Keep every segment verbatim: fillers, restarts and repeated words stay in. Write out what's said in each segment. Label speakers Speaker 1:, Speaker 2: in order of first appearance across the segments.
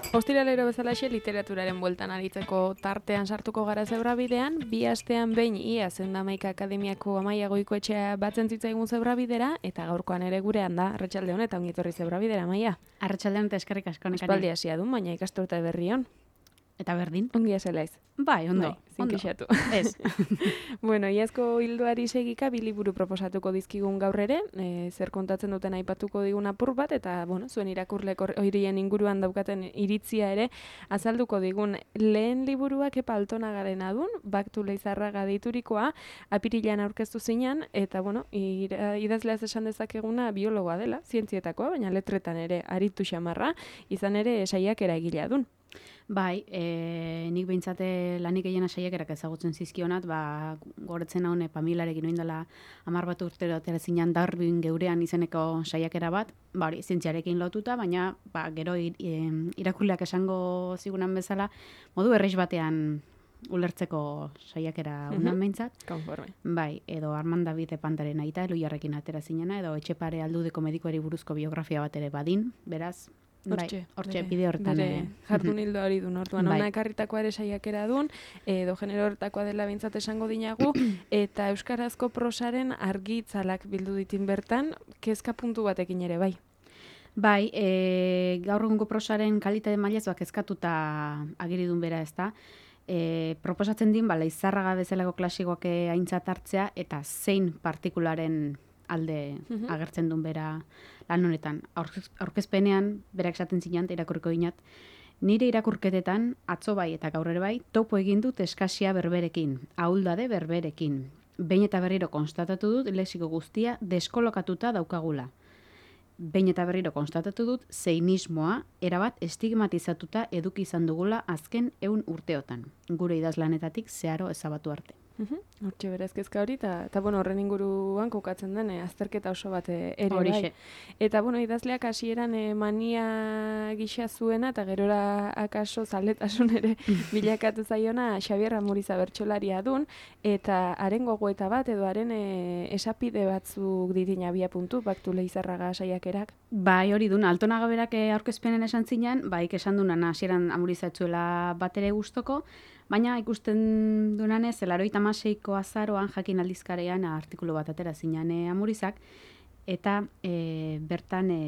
Speaker 1: Ostiralero bezalaxe literaturaren bueltan aritzeko tartean sartuko gara zebrabidean, bi astean behin ia Zendamaika Akademiako Amaia Goikoetxea batzen zitzaigun zebrabidera, eta gaurkoan ere gurean da, arratsaldeon eta ongi etorri zebrabidera, Amaia.
Speaker 2: Arratsaldeon eta eskerrik asko nekane.
Speaker 1: Aspaldi hasia du, baina ikasturte berrion.
Speaker 2: Eta berdin.
Speaker 1: Ongi azelaiz.
Speaker 2: Bai, ondo.
Speaker 1: Bai, zinkixatu.
Speaker 2: Ez.
Speaker 1: Bueno, iazko hildoari segika bi liburu proposatuko dizkigun gaur ere, e, zer kontatzen duten aipatuko digun apur bat, eta bueno, zuen irakurlek horien inguruan daukaten iritzia ere azalduko digun. Lehen liburuak Kepa Altonagarena dun, Baktu Leizarraga deiturikoa, apirilean aurkeztu zinan, eta bueno, ira, idazleaz esan dezakeguna biologoa dela, zientzietakoa, baina letretan ere aritu xamarra, izan ere saiakera egilea dun.
Speaker 2: Bai, e, nik behintzate lanik gehiena saiakerak ezagutzen zizkionat, ba, goretzen haun pamilarekin oin dela hamar bat urtero atera zinan Darwin geurean izeneko saiakera bat, ba hori, zientziarekin lotuta, baina ba, gero ir, irakurleak esango zigunan bezala, modu erreiz batean ulertzeko saiakera unan behintzat.
Speaker 1: Konforme.
Speaker 2: Bai, edo Armand David Epantaren aita, Eloiarrekin atera zinena, edo Etxepare Aldudeko medikuari buruzko biografia bat ere badin, beraz,
Speaker 1: Hortxe,
Speaker 2: bai, hortxe bide hortan.
Speaker 1: Bere jardun hildo hori dun, orduan,
Speaker 2: Bai.
Speaker 1: ona ekarritakoa ere saiakera dun, edo genero hortakoa dela bintzat esango dinagu, eta euskarazko prosaren argitzalak bildu ditin bertan, kezka puntu batekin ere, bai.
Speaker 2: Bai, e, gaur egungo prosaren kalitate mailaz kezkatuta agiridun bera ez da. E, proposatzen din, ba, Leizarraga bezalako klasikoak aintzat hartzea, eta zein partikularen alde agertzen duen bera lan honetan. Aurkezpenean, berak esaten zinan, irakurriko dinat, nire irakurketetan, atzo bai eta gaur ere bai, topo egin dut eskasia berberekin, ahuldade berberekin. Behin eta berriro konstatatu dut, lexiko guztia deskolokatuta daukagula. Behin eta berriro konstatatu dut, zeinismoa erabat estigmatizatuta eduki izan dugula azken ehun urteotan. Gure idazlanetatik zeharo ezabatu arte.
Speaker 1: Hortxe berez kezka hori, eta bueno, horren inguruan kokatzen den, eh, azterketa oso bat eh, ere
Speaker 2: Horixe.
Speaker 1: bai. Eta bueno, idazleak hasieran eh, mania gisa zuena, eta gerora akaso zaletasun ere bilakatu zaiona Xabier Amuriza bertsolaria dun, eta haren gogoeta bat, edo haren eh, esapide batzuk ditin abia puntu, Baktu Leizarraga saiakerak.
Speaker 2: Bai, hori dun, Altonaga berak eh, aurkezpenen esan zinan, bai, esan dunan hasieran Amuriza etzuela bat ere gustoko, baina ikusten dunanez, elaroita amaseiko azaroan jakin aldizkarean artikulu bat atera zinan e, Amurizak, eta e, bertan e,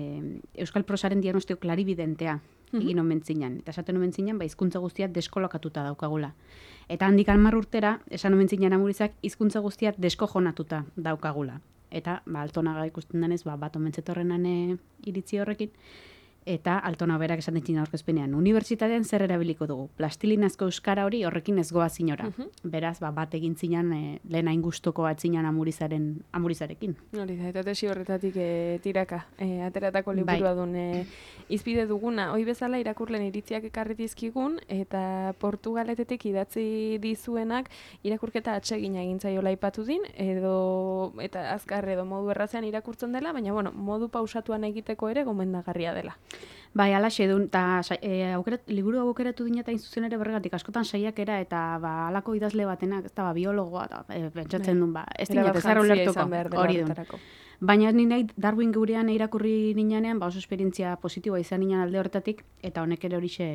Speaker 2: Euskal Prosaren diagnostiko klaribidentea egin omen zinan. Eta esaten omen zinan, ba, hizkuntza guztiak deskolokatuta daukagula. Eta handik hamar urtera, esan omen zinan Amurizak, hizkuntza guztiak deskojonatuta daukagula. Eta ba, Altonaga ikusten denez, ba, bat omen zetorrenan e, iritzi horrekin, eta Altonaga berak esan ditzen aurkezpenean, unibertsitatean zer erabiliko dugu, plastilinazko euskara hori horrekin ez goa zinora. Beraz, ba, bat egin zinan, e, lehen hain guztoko atzinan Amurizaren, Amurizarekin.
Speaker 1: Hori da, eta tesi horretatik e, tiraka, e, ateratako liburua dun e, izpide duguna. Hoi bezala irakurlen iritziak ekarri dizkigun, eta Portugaletetik idatzi dizuenak irakurketa atsegina egin zaiola aipatu din, edo eta azkar edo modu errazean irakurtzen dela, baina bueno, modu pausatuan egiteko ere gomendagarria dela.
Speaker 2: Bai, alaxe dun, eta e, aukeret, liburu aukeratu dina eta inzuzen ere berregatik, askotan saiakera eta ba, alako idazle batenak, ez da, ba, biologoa, eta e, pentsatzen duen, ba, ez dina, bezarro lertuko, hori dun. Baina ni nahi Darwin geurean irakurri ninanean, ba, oso esperientzia positiboa izan ninan alde horretatik, eta honek ere horixe,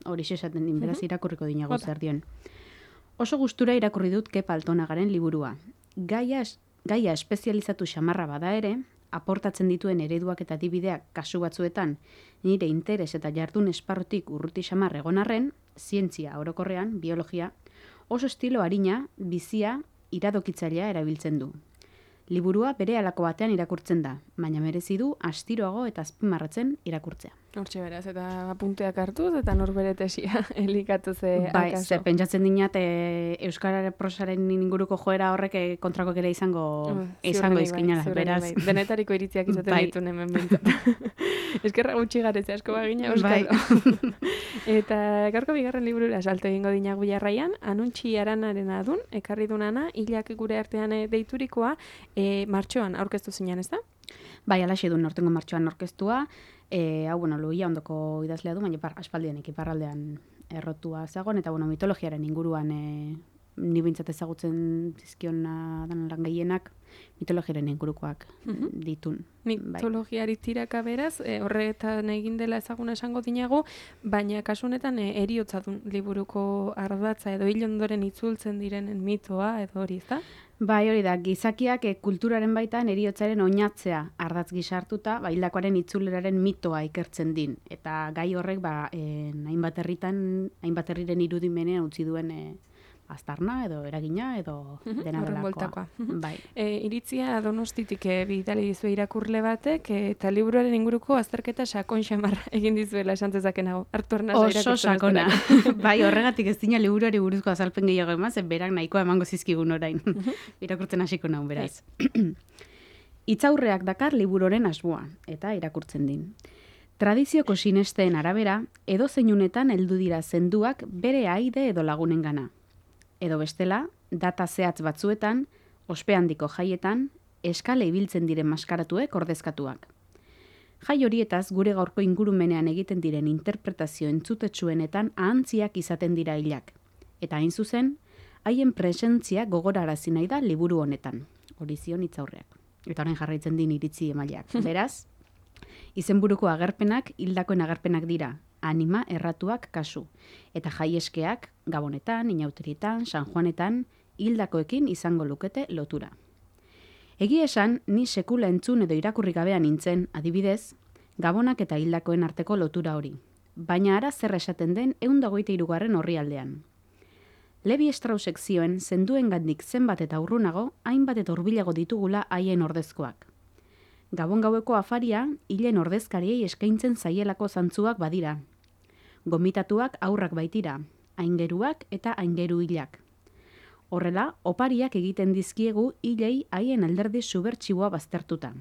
Speaker 2: horixe esaten din, beraz irakurriko dinago zer dion. Oso gustura irakurri dut Kepa Altonagaren liburua. Gaia, gaia espezializatu xamarra bada ere, aportatzen dituen ereduak eta adibideak kasu batzuetan nire interes eta jardun esparrutik urruti xamar egon arren, zientzia orokorrean, biologia, oso estilo arina, bizia, iradokitzailea erabiltzen du. Liburua bere halako batean irakurtzen da, baina merezi du astiroago eta azpimarratzen irakurtzea.
Speaker 1: Hortxe beraz, eta apunteak hartuz, eta norbere tesia elikatu ze
Speaker 2: bai,
Speaker 1: akaso.
Speaker 2: Ze pentsatzen dinat, e, Euskara prosaren inguruko joera horrek e, kontrako ere izango, uh, izango izkinala.
Speaker 1: Bai,
Speaker 2: beraz.
Speaker 1: Bai. Denetariko iritziak izaten
Speaker 2: bai.
Speaker 1: ditun hemen bintzat. Eskerra gutxi garetze asko bagina,
Speaker 2: Euskal.
Speaker 1: Bai. Eta gaurko bigarren liburura salto egingo dinagu jarraian, Anuntxi Aranaren adun, ekarri dunana, hilak gure artean deiturikoa, e, martxoan aurkeztu zinan, ez da?
Speaker 2: Bai, alaxe duen nortengo martxoan aurkeztua, e, hau, bueno, Luia ondoko idazlea du, baina par, aspaldian ekiparraldean errotua zagon, eta bueno, mitologiaren inguruan e, ni bintzat ezagutzen zizkion dan lan gehienak, mitologiaren ingurukoak mm-hmm. ditun.
Speaker 1: Mitologiari bai. Tiraka beraz, e, horretan egin dela ezaguna esango dinago, baina kasu honetan e, eriotza dun liburuko ardatza edo hil ondoren itzultzen direnen mitoa edo hori, ezta?
Speaker 2: Bai, hori da, gizakiak e, kulturaren baitan eriotzaren oinatzea ardatz gizartuta, ba, hildakoaren itzuleraren mitoa ikertzen din. Eta gai horrek, ba, e, hainbat herritan, hainbat herriren irudimenean utzi duen e, aztarna edo eragina edo
Speaker 1: mm-hmm.
Speaker 2: dena delakoa.
Speaker 1: Bai. E, iritzia Donostitik e, bidali dizue irakurle batek e, eta liburuaren inguruko azterketa sakon xamar egin dizuela esan dezakenago. Hartu arnaz
Speaker 2: oso sakona. Bai, horregatik ez dina liburuari buruzko azalpen gehiago eman, zen berak nahikoa emango zizkigun orain. Irakurtzen hasiko naun, beraz. Hitzaurreak dakar liburuaren asmoa, eta irakurtzen din. Tradizioko sinesteen arabera, edo zeinunetan heldu dira zenduak bere aide edo lagunengana. Edo bestela, data zehatz batzuetan, ospe handiko jaietan, eskale ibiltzen diren maskaratuek ordezkatuak. Jai horietaz gure gaurko ingurumenean egiten diren interpretazio entzutetsuenetan ahantziak izaten dira hilak. Eta hain zuzen, haien presentzia gogorarazi nahi da liburu honetan. Hori zion hitzaurreak. Eta orain jarraitzen din iritzi emaileak. Beraz, izenburuko agerpenak hildakoen agerpenak dira. Anima erratuak kasu. Eta jaieskeak, Gabonetan, Inauterietan, San Juanetan, hildakoekin izango lukete lotura. Egia esan, ni sekula entzun edo irakurri gabean nintzen, adibidez, Gabonak eta hildakoen arteko lotura hori. Baina ara zer esaten den ehun eta hogeita hirugarren orrialdean. Levi Straussek zioen zenduengandik zenbat eta urrunago, hainbat eta hurbilago ditugula haien ordezkoak. Gabon gaueko afaria, hilen ordezkariei eskaintzen zaielako zantzuak badira. Gomitatuak aurrak baitira, aingeruak eta aingeru hilak. Horrela, opariak egiten dizkiegu hilei haien alderdi subertsiboa baztertuta.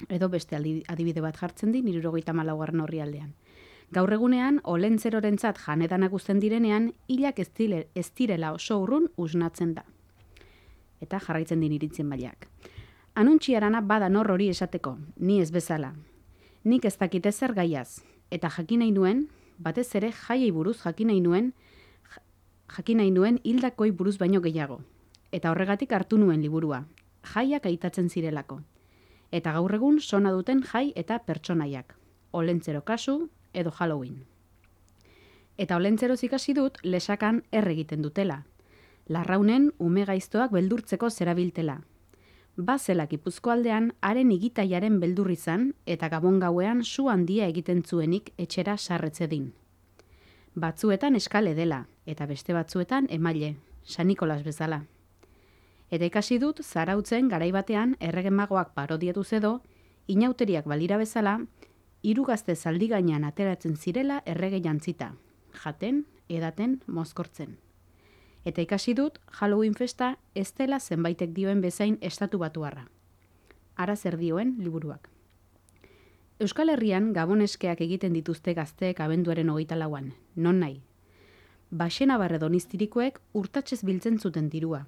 Speaker 2: Edo beste adibide bat jartzen din, hirurogeita hamalaugarren orrialdean. Gaur egunean, olentzerorentzat janedanak uzten direnean, hilak ez direla oso urrun usnatzen da. Eta jarraitzen din iritzien mailak. Anuntxiarana bada nor hori esateko, ni ez bezala. Nik ez dakit ezer gaiaz, eta jakinai nuen, batez ere jaiei buruz jakinai nuen, jakinai nuen hildakoi buruz baino gehiago. Eta horregatik hartu nuen liburua, jaiak aitatzen zirelako. Eta gaur egun sona duten jai eta pertsonaiak, olentzero kasu edo Halloween. Eta olentzeroz ikasi dut lesakan erregiten dutela. Larraunen ume gaiztoak beldurtzeko zerabiltela. Bazela Gipuzkoaldean haren igitaiaren beldur izan eta Gabon gauean su handia egiten zuenik etxera sarretzedin. Batzuetan eskale dela eta beste batzuetan emaile, San Nikolas bezala. Eta ikasi dut zarautzen garaibatean erregemagoak parodiatu edo, inauteriak balira bezala, hiru gazte zaldi gainean ateratzen zirela errege jantzita, jaten, edaten, mozkortzen. Eta ikasi dut Halloween festa ez dela zenbaitek dioen bezain estatu batuarra. Ara zer dioen liburuak. Euskal Herrian gaboneskeak egiten dituzte gazteek abenduaren hogeita lauan, non nahi. Baxena barre doniztirikoek urtatxez biltzen zuten dirua.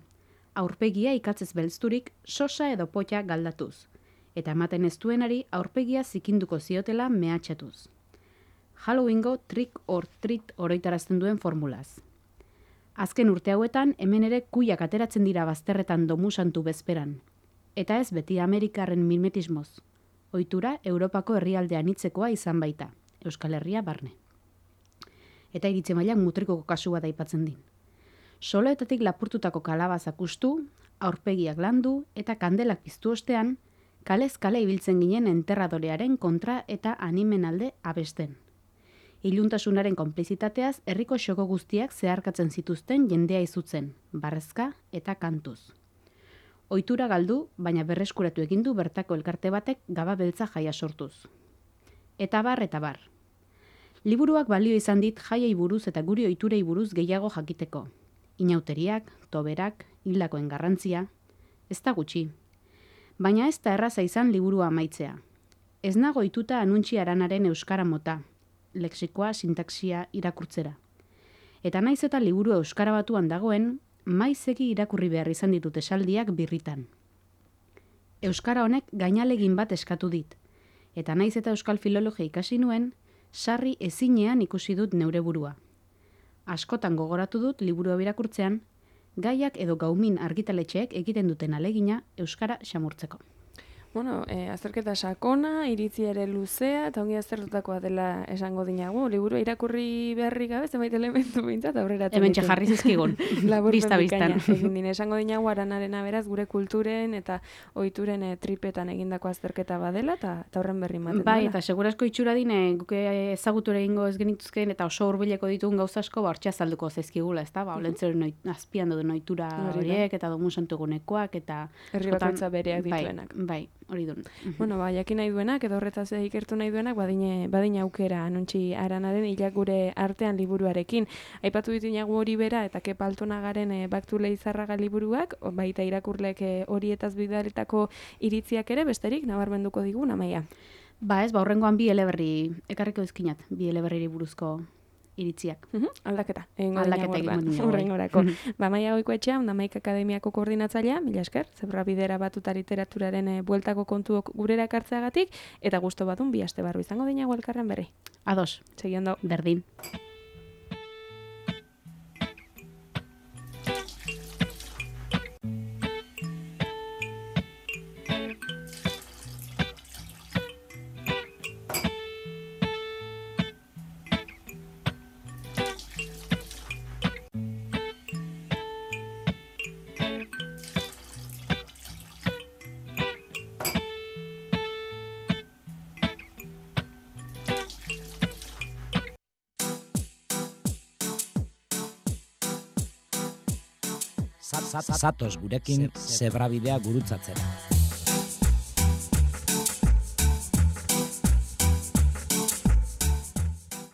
Speaker 2: Aurpegia ikatzez belzturik sosa edo potxa galdatuz. Eta ematen ez duenari aurpegia zikinduko ziotela mehatxatuz. Halloweengo trick or treat oroitarazten duen formulaz. Azken urte hauetan, hemen ere kuiak ateratzen dira bazterretan domusantu bezperan. Eta ez beti Amerikarren mimetismoz. Ohitura Europako herrialdean hitzekoa izan baita, Euskal Herria barne. Eta iritze mailak mutrikoko kasua da aipatzen din. Soloetatik lapurtutako kalabazak ustu, aurpegiak landu eta kandelak piztu ostean, kalez kale ibiltzen ginen enterradorearen kontra eta animen alde abesten. Iluntasunaren konplizitateaz herriko xoko guztiak zeharkatzen zituzten jendea izutzen, barrezka eta kantuz. Ohitura galdu, baina berreskuratu egin du bertako elkarte batek gaba beltza jaia sortuz. Eta bar eta bar. Liburuak balio izan dit jaiei buruz eta guri ohiturei buruz gehiago jakiteko. Inauteriak, toberak, hildakoen garrantzia, ez da gutxi. Baina ez da erraza izan liburua amaitzea. Ez nago ohituta Anuntxi Aranaren euskara mota, lexikoa, sintaxia irakurtzera. Eta naiz eta liburu euskara batuan dagoen, maizegi irakurri behar izan ditut esaldiak birritan. Euskara honek gainalegin bat eskatu dit, eta naiz eta euskal filologia ikasi nuen, sarri ezinean ikusi dut neure burua. Askotan gogoratu dut liburu irakurtzean, Gaiak edo Gaumin argitaletxeek egiten duten alegina euskara xamurtzeko.
Speaker 1: Bueno, eh, azterketa sakona, iritzi ere luzea, eta ongi aztertutakoa dela esango dinagu. Liburu irakurri beharrik gabe, zenbait elementu bintzat, aurreratzen
Speaker 2: hemen jarri zizkigun, bista biztan.
Speaker 1: Egin dine, esango dinagu aranarena beraz, gure kulturen eta ohituren eh, tripetan egindako azterketa badela, eta horren berri maten
Speaker 2: bai, dela. Eta segurasko itxura dine, guke ezagutura egingo ez genituzken, eta oso hurbileko ditugun gauzasko, ba, hortxe azalduko zaizkigula, ez da? Ba, olentzeren uh-huh. azpian duen ohitura horiek, eta domun santugunekoak, eta...
Speaker 1: Herri bakoitza bereak dituenak.
Speaker 2: Bai, bai. Hori duen.
Speaker 1: Bueno, ba, jakin nahi duenak, edo horretaz ikertu nahi duenak, badine, badine aukera anuntzi aranaren hilak gure artean liburuarekin. Aipatu dituinagu hori bera, eta kepaltonagaren e, baktule izarraga liburuak, baita irakurlek e, horietaz bidaletako iritziak ere, besterik, nabarmenduko digun, Amaia.
Speaker 2: Ba ez, ba, horrengoan bi eleberri, ekarriko dizkinat, bi eleberri buruzko iritziak.
Speaker 1: Uh -huh. Aldaketa.
Speaker 2: Aldaketa egin dut.
Speaker 1: Horrengorako. Ba, Amaia Goikoetxea, Ondamaik Akademiako koordinatzailea, mila esker, Zebra Bidera Batuta literaturaren e, bueltako kontuok gurera ekartzeagatik, eta gusto batun bi aste barru izango dinago elkarren berri.
Speaker 2: Ados.
Speaker 1: Segiondo.
Speaker 2: Berdin.
Speaker 3: Zatoz gurekin Zebra Bidea gurutzatzera.